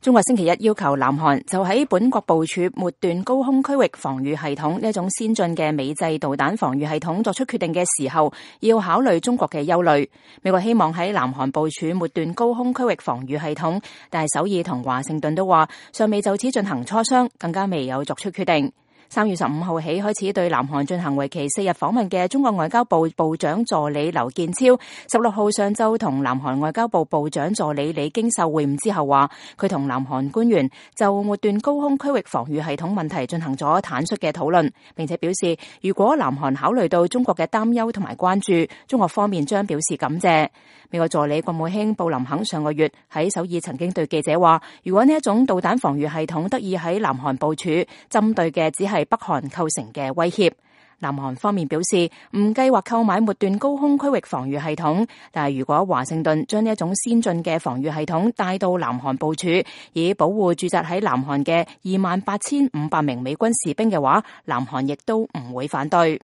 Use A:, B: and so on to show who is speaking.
A: 中國星期一要求南韓就喺本國部署末段高空區域防禦系統呢一種先進嘅美製導彈防禦系統作出決定嘅時候，要考慮中國嘅憂慮。美國希望喺南韓部署末段高空區域防禦系統，但係首爾同華盛頓都話尚未就此進行磋商，更加未有作出決定。3月15號起開始對南韓進行為期4日訪問嘅中國外交部部長助理劉建超，16號上晝同南韓外交部部長助理李京秀會晤之後話，佢同南韓官員就末段高空區域防禦系統問題進行咗坦率嘅討論，並且表示如果南韓考慮到中國嘅擔憂同埋關注，中國方面將表示感謝。美國助理國務卿布林肯上個月喺首爾曾經對記者話，如果呢一種導彈防禦系統得以喺南韓部署，針對嘅只係北韓構成嘅威脅。南韓方面表示唔計劃購買末段高空區域防禦系統，但係如果華盛頓將呢一種先進嘅防禦系統帶到南韓部署，以保護駐紮喺南韓嘅28,500名美軍士兵嘅話，南韓亦都唔會反對。